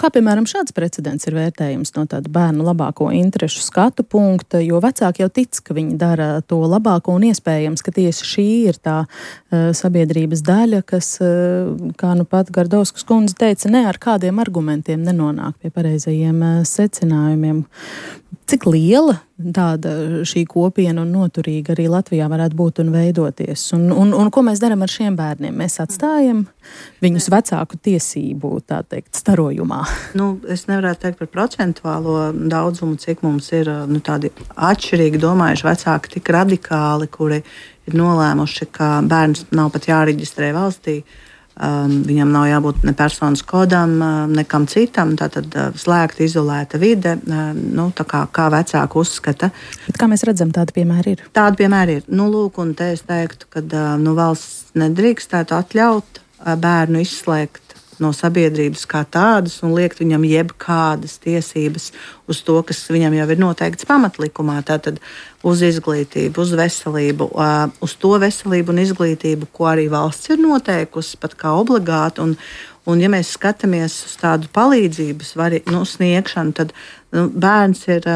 Kā, piemēram, šāds precedents ir vērtējums no tāda bērnu labāko interešu skatu punkta, jo vecāki jau tic, ka viņi dara to labāko un iespējams, ka tieši šī ir tā sabiedrības daļa, kas, kā nu pat Gardovskas kundze teica, ne ar kādiem argumentiem nenonāk pie pareizajiem secinājumiem. Cik liela tāda šī kopiena un noturīga arī Latvijā varētu būt un veidoties? Un ko mēs darām ar šiem bērniem? Mēs atstājam viņus vecāku tiesību, tā teikt, starojumā? Es nevarētu teikt par procentuālo daudzumu, cik mums ir tādi atšķirīgi domājuši vecāki, tik radikāli, kuri ir nolēmuši, ka bērns nav pat jāreģistrē valstī. Viņam nav jābūt ne personas kodam, nekam citam, tātad slēgta, izolēta vide, kā vecāki uzskata. Bet kā mēs redzam, tādi piemēri ir? Tādi piemēri ir. Lūk, un te es teiktu, ka valsts nedrīkstētu atļaut bērnu izslēgt no sabiedrības kā tādas un liekt viņam jebkādas tiesības uz to, kas viņam jau ir noteikts pamatlikumā. Tātad uz izglītību, uz veselību, uz to veselību un izglītību, ko arī valsts ir noteikusi pat kā obligāti. Un ja mēs skatāmies uz tādu palīdzības sniegšanu, tad bērns ir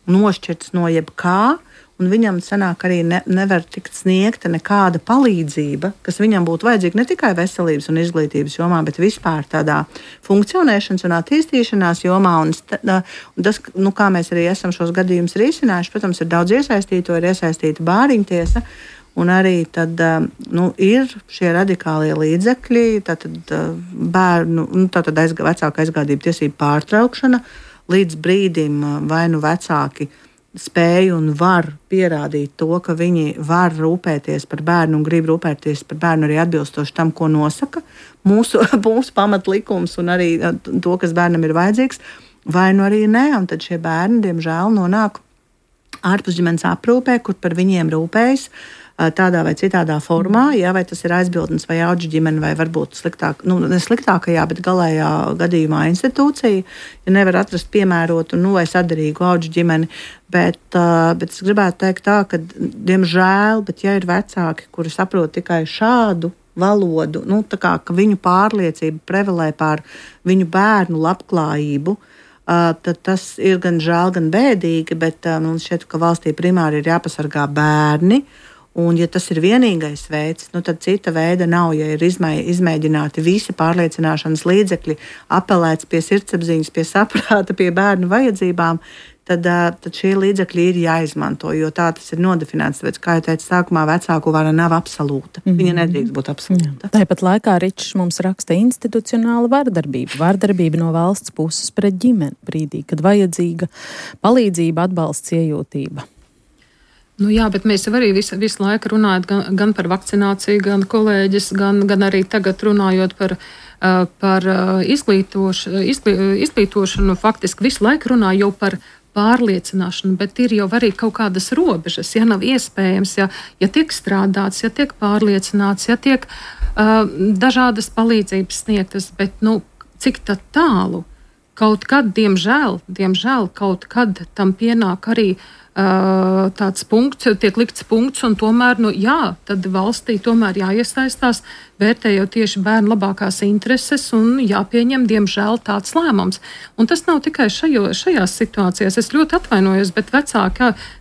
nošķirts no jebkā, un viņam sanāk arī nevar tikt sniegta nekāda palīdzība, kas viņam būtu vajadzīga ne tikai veselības un izglītības jomā, bet vispār tādā funkcionēšanas un attīstīšanās jomā. Un tas, kā mēs arī esam šos gadījumus risinājuši, protams, ir daudz iesaistīto, ir iesaistīta bāriņtiesa, un arī tad ir šie radikālie līdzekļi, tātad bērnu, vecāku aizgādību tiesību pārtraukšana līdz brīdim vai vecāki spēju un var pierādīt to, ka viņi var rūpēties par bērnu un grib rūpēties par bērnu arī atbilstoši tam, ko nosaka mūsu pamatlikums un arī to, kas bērnam ir vajadzīgs, vai arī nē. Un tad šie bērni, diemžēl, nonāk ārpus ģimenes aprūpē, kur par viņiem rūpējas tādā vai citādā formā, vai tas ir aizbildnis vai auģu ģimene, vai varbūt ne sliktākajā, bet galējā gadījumā institūcija, ja nevar atrast piemērotu vai saderīgu auģu ģimeni. Bet es gribētu teikt tā, ka, diemžēl, bet ja ir vecāki, kuri saprot tikai šādu valodu, ka viņu pārliecība prevalē pār viņu bērnu labklājību, tad tas ir gan žēl, gan bēdīgi, bet mums šķiet, ka valstī primāri ir jāpasargā bērni. Un, ja tas ir vienīgais veids, tad cita veida nav. Ja ir izmēģināti visi pārliecināšanas līdzekļi, apelēts pie sirdsapziņas, pie saprāta, pie bērnu vajadzībām, tad šie līdzekļi ir jāizmanto, jo tā tas ir nodefinēts. Tāpēc, kā jau teicu, sākumā vecāku vara nav absolūta. Viņa nedrīkst būt absolūta. Tāpat laikā Ričs mums raksta institucionāla vardarbība. Vardarbība no valsts puses pret ģimeni brīdī, kad vajadzīga palīdzība, atbalsts, iejūtība. Jā, bet mēs jau arī visu laiku runājot gan par vakcināciju, gan kolēģis, gan arī tagad runājot par izglītošanu, faktiski visu laiku runā jau par pārliecināšanu, bet ir jau arī kaut kādas robežas, ja nav iespējams, ja tiek strādāts, ja tiek pārliecināts, ja tiek dažādas palīdzības sniegtas, bet cik tad tālu? Kaut kad, diemžēl, kaut kad tam pienāk arī tāds punkts, tiek likts punkts, un tomēr, tad valstī tomēr jāiesaistās, vērtējot tieši bērnu labākās intereses, un jāpieņem, diemžēl, tāds lēmums. Un tas nav tikai šajās situācijās. Es ļoti atvainojos, bet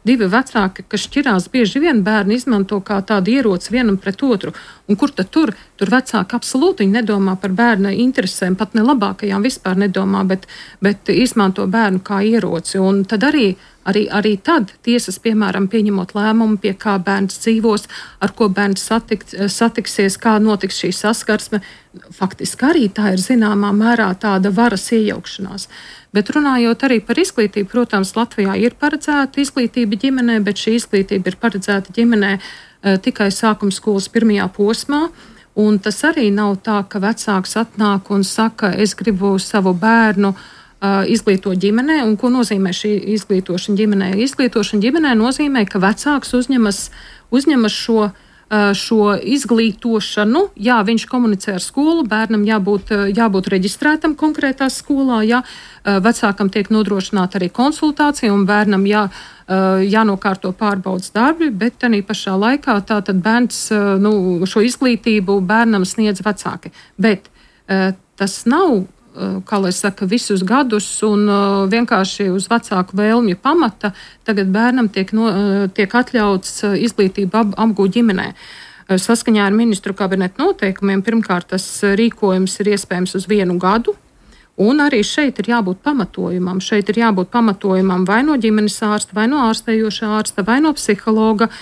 divi vecāki, kas šķirās, bieži vien bērni izmanto kā tādu ieroci vienam pret otru. Un kur tad tur vecāki absolūti nedomā par bērna interesēm, pat ne labākajām vispār nedomā, bet izmanto bērnu kā ieroci. Un tad arī tad tiesas, piemēram, pieņemot lēmumu, pie kā bērns dzīvos, ar ko bērns satiksies, kā notiks šī saskarsme, faktiski arī tā ir zināmā mērā tāda varas iejaukšanās. Bet runājot arī par izglītību, protams, Latvijā ir paredzēta izglītība ģimenē, bet šī izglītība ir paredzēta ģimenē tikai sākuma skolas pirmajā posmā. Un tas arī nav tā, ka vecāks atnāk un saka, es gribu savu bērnu izglīto ģimenē. Un ko nozīmē šī izglītošana ģimenē? Izglītošana ģimenē nozīmē, ka vecāks uzņemas šo izglītošanu. Jā, viņš komunicē ar skolu, bērnam jābūt reģistrētam konkrētā skolā, vecākam tiek nodrošināta arī konsultācija un bērnam jānokārto pārbaudas darbi, bet tādā pašā laikā tātad bērns šo izglītību bērnam sniedz vecāki. Bet tas nav, kā lai saka, visus gadus un vienkārši uz vecāku vēlmju pamata tagad bērnam tiek atļauts izglītību apgūt ģimenē. Saskaņā ar ministru kabineta noteikumiem pirmkārt tas rīkojums ir iespējams uz 1 gadu, un arī šeit ir jābūt pamatojumam. Šeit ir jābūt pamatojumam vai no ģimenes ārsta, vai no ārstējošā ārsta, vai no psihologa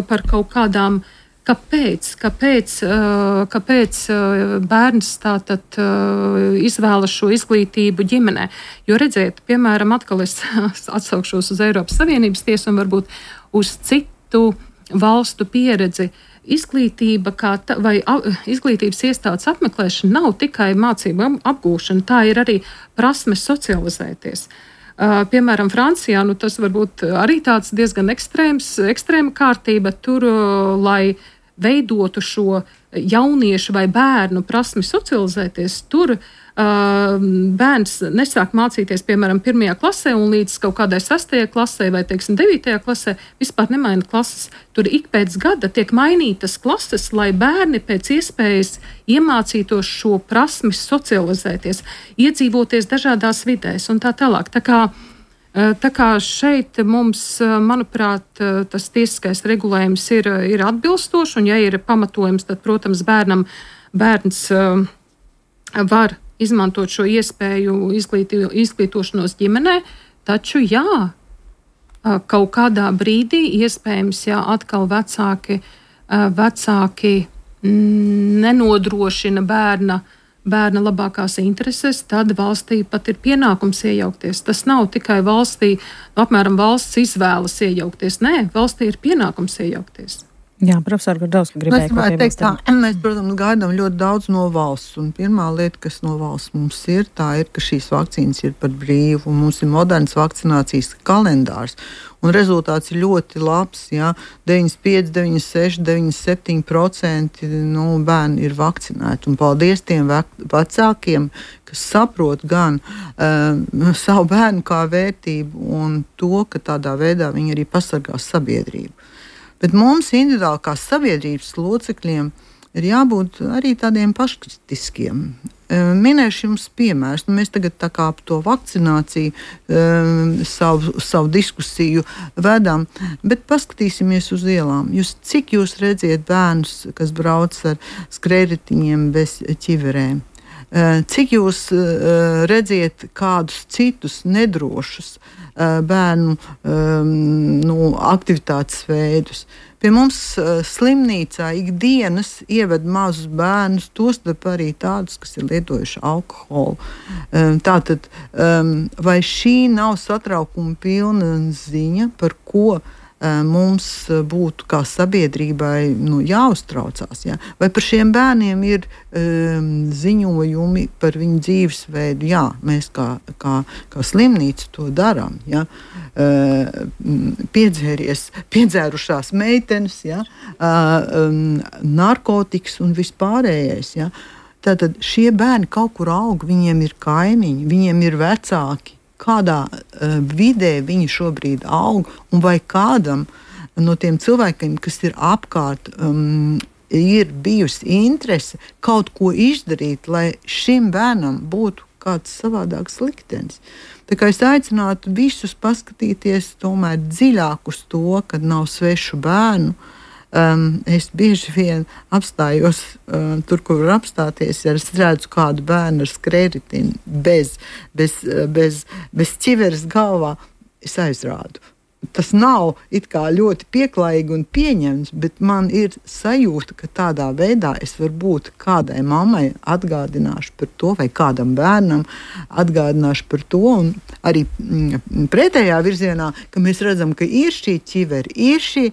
par kaut kādām. Kāpēc bērns tātad izvēlas šo izglītību ģimenē? Jo redziet, piemēram, atkal es atsaukšos uz Eiropas Savienības tiesu un varbūt uz citu valstu pieredzi. Izglītība vai izglītības iestādes apmeklēšana nav tikai mācību apgūšana, tā ir arī prasme socializēties. Piemēram, Francijā, tas varbūt arī tāds diezgan ekstrēma kārtība tur, lai veidotu šo jauniešu vai bērnu prasmi socializēties, tur bērns nesāk mācīties, piemēram, 1. klasē un līdz kaut kādai 6. klasē vai, 9. klasē vispār nemaina klases. Tur ik pēc gada tiek mainītas klases, lai bērni pēc iespējas iemācītos šo prasmi socializēties, iedzīvoties dažādās vidēs un tā tālāk. Tā kā šeit mums, manuprāt, tas tiesiskais regulējums ir atbilstošs, un ja ir pamatojums, tad, protams, bērns var izmantot šo iespēju izglītošanos ģimenē, taču kaut kādā brīdī iespējams, atkal vecāki nenodrošina bērna labākās intereses, tad valstī pat ir pienākums iejaukties. Tas nav tikai valstī, apmēram valsts izvēlas iejaukties. Nē, valstī ir pienākums iejaukties. Jā, profesor Gurdovska gribēja ko piebilst. Mēs, protams, gaidām ļoti daudz no valsts. Un pirmā lieta, kas no valsts mums ir, tā ir, ka šīs vakcīnas ir par brīvu. Un mums ir moderns vakcinācijas kalendārs. Un rezultāts ir ļoti labs. 95, 96, 97% bērni ir vakcinēti. Un paldies tiem vecākiem, kas saprot gan savu bērnu kā vērtību un to, ka tādā veidā viņi arī pasargās sabiedrību. Bet mums individuāli kā sabiedrības locekļiem ir jābūt arī tādiem paškritiskiem. Minēšu jums piemērus. Mēs tagad tā kā par to vakcināciju savu diskusiju vedam, bet paskatīsimies uz ielām. Cik jūs redziet bērnus, kas brauc ar skrējritiņiem bez ķiverēm? Cik jūs redziet kādus citus nedrošus bērnu aktivitātes veidus? Pie mums slimnīcā ikdienas ieved mazus bērnus, tostarp arī tādus, kas ir lietojuši alkoholu. Tātad, vai šī nav satraukuma pilna ziņa, par ko mums būtu kā sabiedrībai jāuztraucās? Ja? Vai par šiem bērniem ir ziņojumi par viņu dzīvesveidu? Jā, mēs kā slimnīca to darām. Ja? Piedzērušās meitenes, ja? Narkotikas un vispārējais. Ja? Tātad šie bērni kaut kur aug, viņiem ir kaimiņi, viņiem ir vecāki. Kādā vidē viņi šobrīd aug, un vai kādam no tiem cilvēkiem, kas ir apkārt, ir bijusi interese kaut ko izdarīt, lai šim bērnam būtu kāds savādāks liktenis. Tā kā es aicinātu visus paskatīties tomēr dziļāk uz to, kad nav svešu bērnu. Es bieži vien apstājos tur, kur var apstāties, ja es redzu kādu bērnu ar skrējritini bez ķiveres galvā, es aizrādu. Tas nav it kā ļoti pieklājīgi un pieņemts, bet man ir sajūta, ka tādā veidā es varbūt kādai mammai atgādināšu par to, vai kādam bērnam atgādināšu par to, un arī pretējā virzienā, ka mēs redzam, ka ir šī ķiveri, ir šī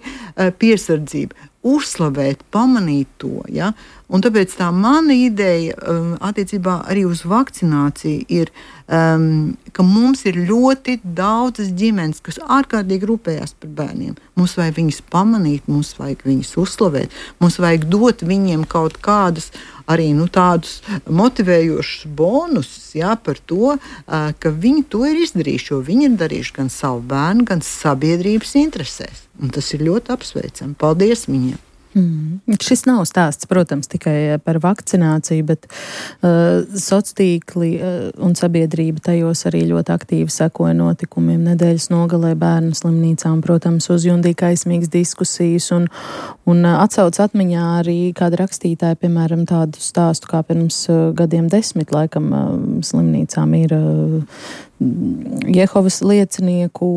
piesardzība, uzslavēt, pamanīt to. Ja? Un tāpēc tā mana ideja attiecībā arī uz vakcināciju ir, ka mums ir ļoti daudzas ģimenes, kas ārkārtīgi rūpējās par bērniem. Mums vajag viņus pamanīt, mums vajag viņus uzslavēt, mums vajag dot viņiem kaut kādus arī tādus motivējošus bonusus, ja, par to, ka viņi to ir izdarījuši, jo viņi ir darījuši gan savu bērnu, gan sabiedrības interesēs. Un tas ir ļoti apsveicami. Paldies viņiem! Šis nav stāsts, protams, tikai par vakcināciju, bet sociālie tīkli un sabiedrība tajos arī ļoti aktīvi sekoja notikumiem nedēļas nogalē bērnu slimnīcā un, protams, uzjundīja kaismīgas diskusijas un atsauc atmiņā arī kāda rakstītāja, piemēram, tādu stāstu, kā pirms gadiem 10 laikam slimnīcām ir Jehovas liecinieku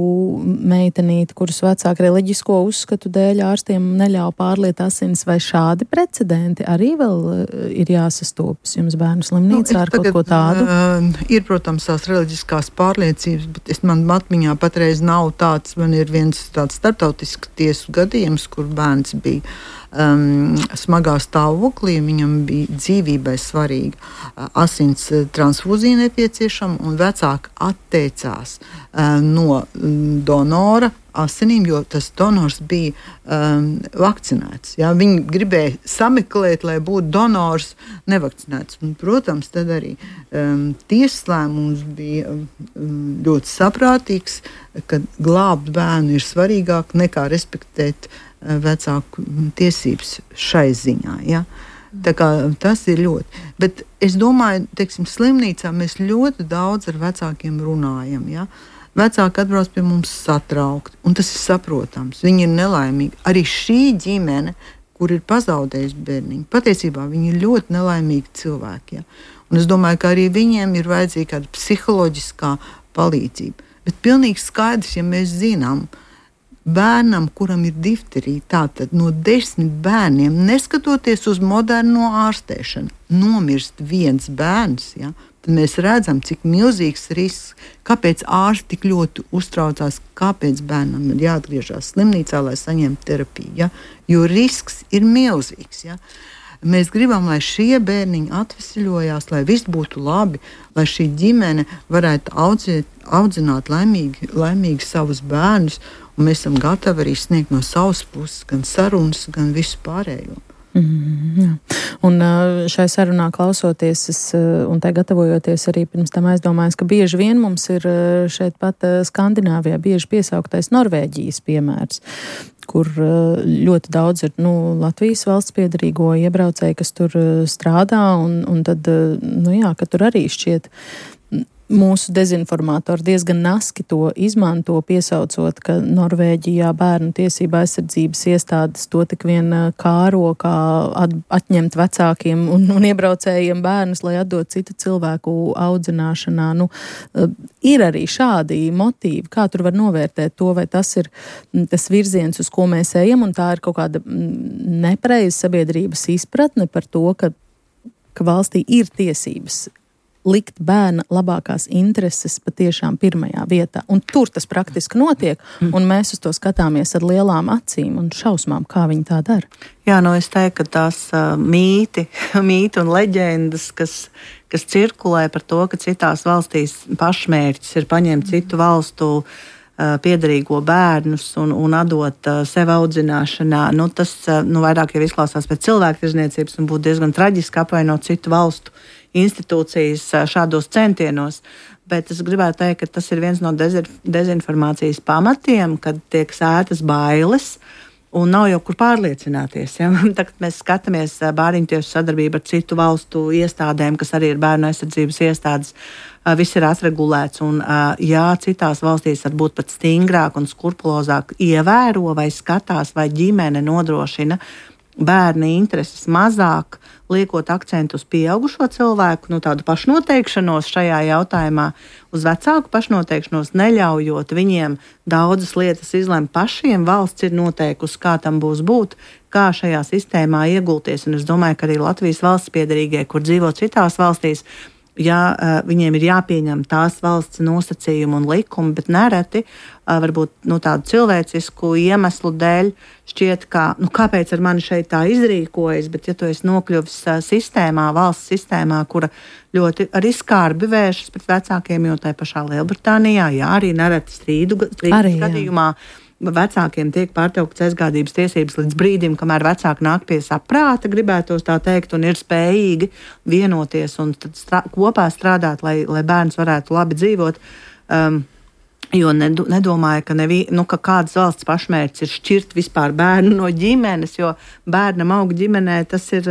meitenīti, kuras vecāki reliģisko uzskatu dēļ ārstiem neļauj pārliet asinis, vai šādi precedenti arī vēl ir jāsastopas jums bērnu slimnīcā ar kaut ko tādu? Ir, protams, tās reliģiskās pārliecības, bet man atmiņā patreiz nav tāds, man ir viens tāds starptautisks tiesu gadījums, kur bērns bija smagā stāvoklī, viņam bija dzīvībai svarīga asins transfūzija nepieciešama, un vecāki atteicās no donora asinīm, jo tas donors bija vakcinēts. Ja? Viņi gribēja sameklēt, lai būtu donors nevakcinēts. Un, protams, tad arī tiesas lēmums bija ļoti saprātīgs, ka glābt bērnu ir svarīgāk nekā respektēt vecāku tiesības šai ziņā. Ja? Tā kā tas ir ļoti. Bet es domāju, teiksim, slimnīcā mēs ļoti daudz ar vecākiem runājam. Ja? Vecāki atbrauc pie mums satraukti, un tas ir saprotams. Viņi ir nelaimīgi. Arī šī ģimene, kur ir pazaudējusi bērniņu, patiesībā viņi ir ļoti nelaimīgi cilvēki. Ja? Un es domāju, ka arī viņiem ir vajadzīga kāda psiholoģiskā palīdzība. Bet pilnīgi skaidrs, ja mēs zinām, bērnam, kuram ir difterija, tātad no 10 bērniem, neskatoties uz moderno ārstēšanu, nomirst viens bērns, ja, tad mēs redzam, cik milzīgs risks, kāpēc ārsti tik ļoti uztraucās, kāpēc bērnam ir jāatgriežas slimnīcā, lai saņemtu terapiju. Ja, jo risks ir milzīgs. Ja. Mēs gribam, lai šie bērniņi atvesļojās, lai viss būtu labi, lai šī ģimene varētu audzināt laimīgi savus bērnus, un mēs esam gatavi arī sniegt no savas puses gan sarunas, gan visu pārējo. Un šai sarunā klausoties un tai gatavojoties arī pirms tam aizdomājos, ka bieži vien mums ir šeit pat Skandināvijā bieži piesauktais Norvēģijas piemērs, kur ļoti daudz ir Latvijas valsts piedarīgo iebraucēji, kas tur strādā, un tad, ka tur arī šķiet mūsu dezinformātori diezgan naski to izmanto, piesaucot, ka Norvēģijā bērnu tiesība aizsardzības iestādes to tik vien kāro, kā atņemt vecākiem un iebraucējiem bērnus, lai atdot citu cilvēku audzināšanā. Ir arī šādi motīvi, kā tur var novērtēt to, vai tas ir tas virziens, uz ko mēs ejam, un tā ir kaut kāda nepareiza sabiedrības izpratne par to, ka valstī ir tiesības likt bērna labākās intereses patiešām pirmajā vietā. Un tur tas praktiski notiek, un mēs uz to skatāmies ar lielām acīm un šausmām, kā viņi tā dara. Jā, es teiktu, ka tās mīti un leģendas, kas cirkulē par to, ka citās valstīs pašmērķis ir paņemt citu valstu piederīgo bērnus un atdot sev audzināšanā. Tas vairāk jau izklausās pēc cilvēktirdzniecības un būtu diezgan traģiski apvainot citu valstu institūcijas šādos centienos. Bet es gribētu teikt, ka tas ir viens no dezinformācijas pamatiem, kad tiek sētas bailes un nav jau kur pārliecināties. Ja? Tagad mēs skatāmies bāriņtiesu sadarbību ar citu valstu iestādēm, kas arī ir bērnu aizsardzības iestādes. Viss ir atregulēts, un citās valstīs varbūt pat stingrāk un skrupulozāk ievēro vai skatās, vai ģimene nodrošina bērni intereses mazāk, liekot akcentu uz pieaugušo cilvēku, tādu pašnoteikšanos šajā jautājumā, uz vecāku pašnoteikšanos, neļaujot viņiem daudzas lietas izlemt pašiem. Valsts ir noteikusi, kā tam būs būt, kā šajā sistēmā iegulties, un es domāju, ka arī Latvijas valsts piederīgie, kur dzīvo citās valstīs, viņiem ir jāpieņem tās valsts nosacījumi un likumi, bet nereti varbūt tādu cilvēcisku iemeslu dēļ šķiet, ka kāpēc ar mani šeit tā izrīkojas, bet ja tu esi nokļuvis sistēmā, valsts sistēmā, kura ļoti arī skarbi vēršas pret vecākiem, jo tai pašā Lielbritānijā, arī nereti strīdu gadījumā, vecākiem tiek pārtrauktas aizgādības tiesības līdz brīdim, kamēr vecāki nāk pie saprāta, gribētos tā teikt, un ir spējīgi vienoties un kopā strādāt, lai bērns varētu labi dzīvot. Jo nedomāju, ka kādas valsts pašmērķis ir šķirt vispār bērnu no ģimenes, jo bērnam aug ģimenē, tas ir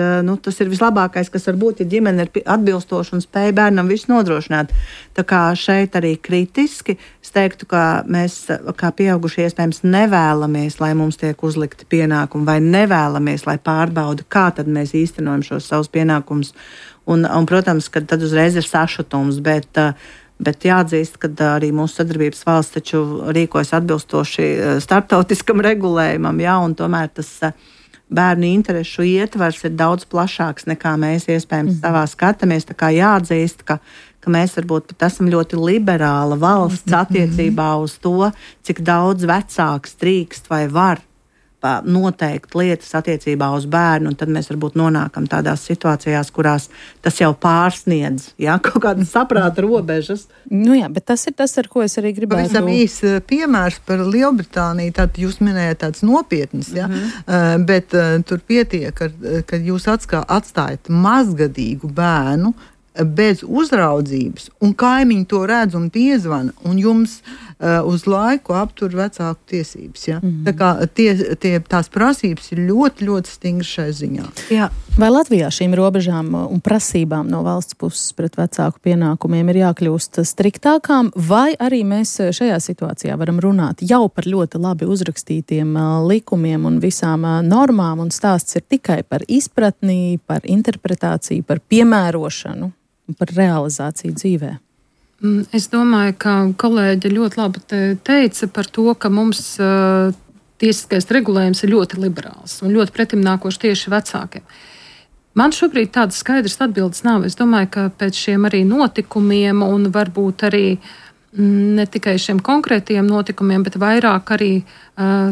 vislabākais, kas var būt, ja ģimene ir atbilstoša un spēja bērnam visu nodrošināt. Tā kā šeit arī kritiski es teiktu, ka mēs kā pieaugušie iespējams nevēlamies, lai mums tiek uzlikti pienākumi, vai nevēlamies, lai pārbauda, kā tad mēs īstenojam šos savus pienākumus. Un protams, ka tad uzreiz ir sašutums, bet jāatzīst, ka arī mūsu sadarbības valsts taču rīkojas atbilstoši starptautiskam regulējumam, un tomēr tas bērnu interešu ietvars ir daudz plašāks, nekā mēs iespējams savā skatāmies. Tā kā jāatzīst, ka mēs varbūt pat esam ļoti liberāla valsts attiecībā uz to, cik daudz vecāks drīkst vai var noteikt lietas attiecībā uz bērnu, un tad mēs varbūt nonākam tādās situācijās, kurās tas jau pārsniedz kaut kādas saprāta robežas. Bet tas ir tas, ar ko es arī gribētu. Pavisam īsi piemērs par Lielbritāniju, tad jūs minējat tāds nopietns, bet tur pietiek, ka jūs atstājat mazgadīgu bērnu bez uzraudzības, un kaimiņi to redz un piezvana, un jums uz laiku aptur vecāku tiesības. Ja? Tā kā tās prasības ir ļoti, ļoti stingras šai ziņā. Jā. Vai Latvijā šīm robežām un prasībām no valsts puses pret vecāku pienākumiem ir jākļūst striktākām, vai arī mēs šajā situācijā varam runāt jau par ļoti labi uzrakstītiem likumiem un visām normām, un stāsts ir tikai par izpratni, par interpretāciju, par piemērošanu, par realizāciju dzīvē? Es domāju, ka kolēģi ļoti labi teica par to, ka mums tiesiskais regulējums ir ļoti liberāls un ļoti pretimnākošs tieši vecākiem. Man šobrīd tādas skaidras atbildes nav. Es domāju, ka pēc šiem arī notikumiem un varbūt arī ne tikai šiem konkrētiem notikumiem, bet vairāk arī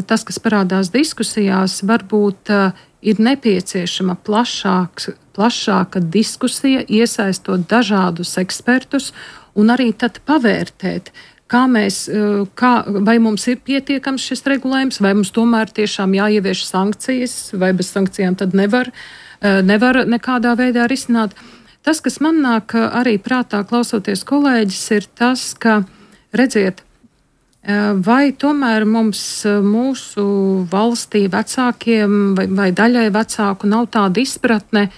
tas, kas parādās diskusijās, varbūt ir nepieciešama plašāka diskusija, iesaistot dažādus ekspertus un arī tad pavērtēt, vai mums ir pietiekams šis regulējums, vai mums tomēr tiešām jāievieš sankcijas, vai bez sankcijām tad nevar nekādā veidā risināt. Tas, kas man nāk arī prātā klausoties kolēģis, ir tas, ka, redziet, vai tomēr mūsu valstī vecākiem vai daļai vecāku nav tāda izpratne,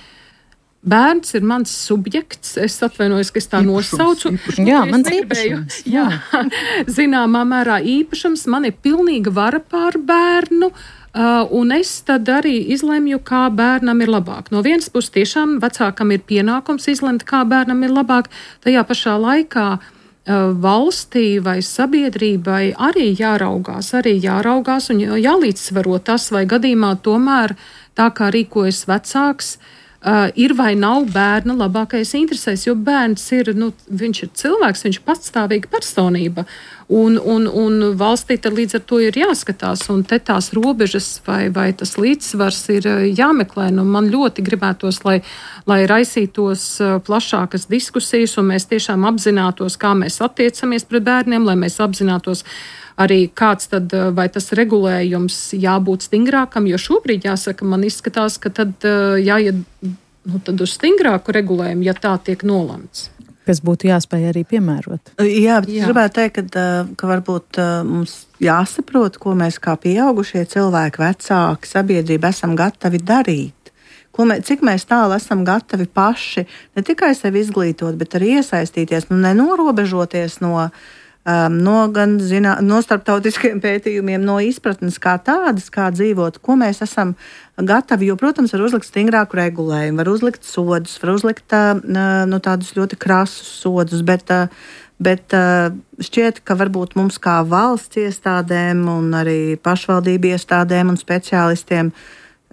bērns ir mans subjekts. Es atvainojos, ka es tā nosaucu. Jā, mans īpašums. Jā, zināmā mērā īpašums. Man ir pilnīga vara pār bērnu. Un es tad arī izlemju, kā bērnam ir labāk. No vienas puses tiešām vecākam ir pienākums izlemt, kā bērnam ir labāk. Tajā pašā laikā valstī vai sabiedrībai arī jāraugās un jālīdzsvaro tas, vai gadījumā tomēr tā kā rīkojas vecāks, ir vai nav bērna labākais interesēs, jo bērns ir, viņš ir cilvēks, viņš ir patstāvīga personība, un valstī tad līdz ar to ir jāskatās, un te tās robežas vai tas līdzsvars ir jāmeklē. Man ļoti gribētos, lai raisītos plašākas diskusijas, un mēs tiešām apzinātos, kā mēs attiecamies pret bērniem, lai mēs apzinātos arī kāds tad, vai tas regulējums jābūt stingrākam, jo šobrīd jāsaka, man izskatās, ka tad jāiet tad uz stingrāku regulējumu, ja tā tiek nolemts. Kas būtu jāspēj arī piemērot. Jā, bet es gribētu teikt, ka varbūt mums jāsaprot, ko mēs kā pieaugušie cilvēki, vecāki, sabiedrība esam gatavi darīt. Cik mēs tālu esam gatavi paši ne tikai sevi izglītot, bet arī iesaistīties, nenorobežoties no starptautiskiem pētījumiem, no izpratnes kā tādas, kā dzīvot, ko mēs esam gatavi, jo, protams, var uzlikt stingrāku regulējumu, var uzlikt sodus, var uzlikt tādus ļoti krasus sodus, bet šķiet, ka varbūt mums kā valsts iestādēm un arī pašvaldību iestādēm un speciālistiem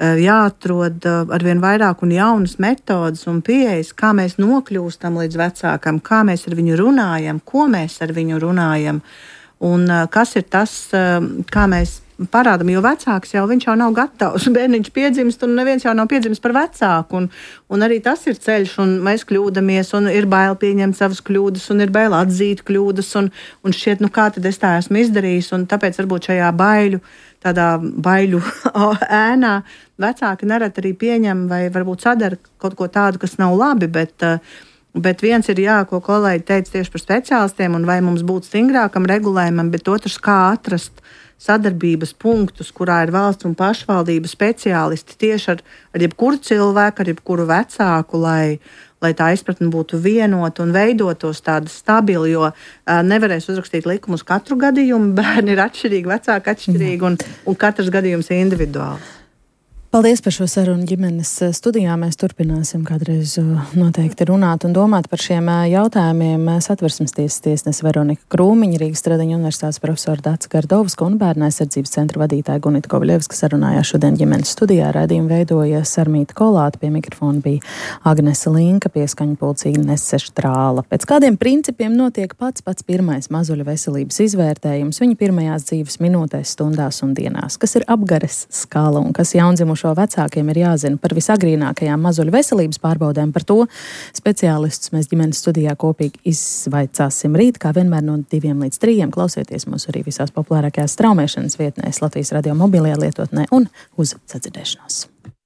jāatrod arvien vairāk un jaunas metodas un pieejas, kā mēs nokļūstam līdz vecākam, kā mēs ar viņu runājam, ko mēs ar viņu runājam un kas ir tas, kā mēs parādam, jo vecāks viņš jau nav gatavs. Bērniņš piedzimst un neviens jau nav piedzimis par vecāku un arī tas ir ceļš un mēs kļūdamies un ir bail pieņemt savas kļūdas un ir bail atzīt kļūdas un šķiet, kā tad es tā esmu izdarījis un tāpēc varbūt šajā tādā baiļu ēnā vecāki nereti arī pieņem vai varbūt sadara kaut ko tādu, kas nav labi, bet viens ir ko kolēģi teica tieši par speciālistiem un vai mums būtu stingrākam regulējumam, bet otrs, kā atrast sadarbības punktus, kurā ir valsts un pašvaldība speciālisti tieši ar jebkuru cilvēku, ar jebkuru vecāku, lai tā izpratne būtu vienota un veidotos tāda stabila, jo nevarēs uzrakstīt likumus katru gadījumu, bērni ir atšķirīgi, vecāki atšķirīgi un katrs gadījums ir individuāls. Paldies par šo sarunu ģimenes studijā. Mēs turpināsim kādreiz noteikti runāt un domāt par šiem jautājumiem. Satversmes tiesas tiesnese Veronika Krūmiņa, Rīgas Stradiņa universitātes profesora Dāca Gardovska un Bērnu aizsardzības centra vadītāja Gunita Kovļevska sarunājās šodien ģimenes studijā. Raidījumu veidoja Sarmīta Kolāte, pie mikrofona bija Agnese Linka, pieskaņu pulcī Nese Štrāla. Pēc kādiem principiem notiek pats pirmais mazuļu veselības izvērtējums viņa pirmajās dzīves minūtēs, stundās un dienās? Kas ir apgares skala un kas jaundzimušo vecākiem ir jāzina par visagrīnākajām mazuļu veselības pārbaudēm? Par to speciālistus mēs ģimenes studijā kopīgi izvaicāsim rīt, kā vienmēr no 2 līdz 3. Klausieties mūs arī visās populārākajās straumēšanas vietnēs, Latvijas radio mobilajā lietotnē un uz sadzirdēšanos.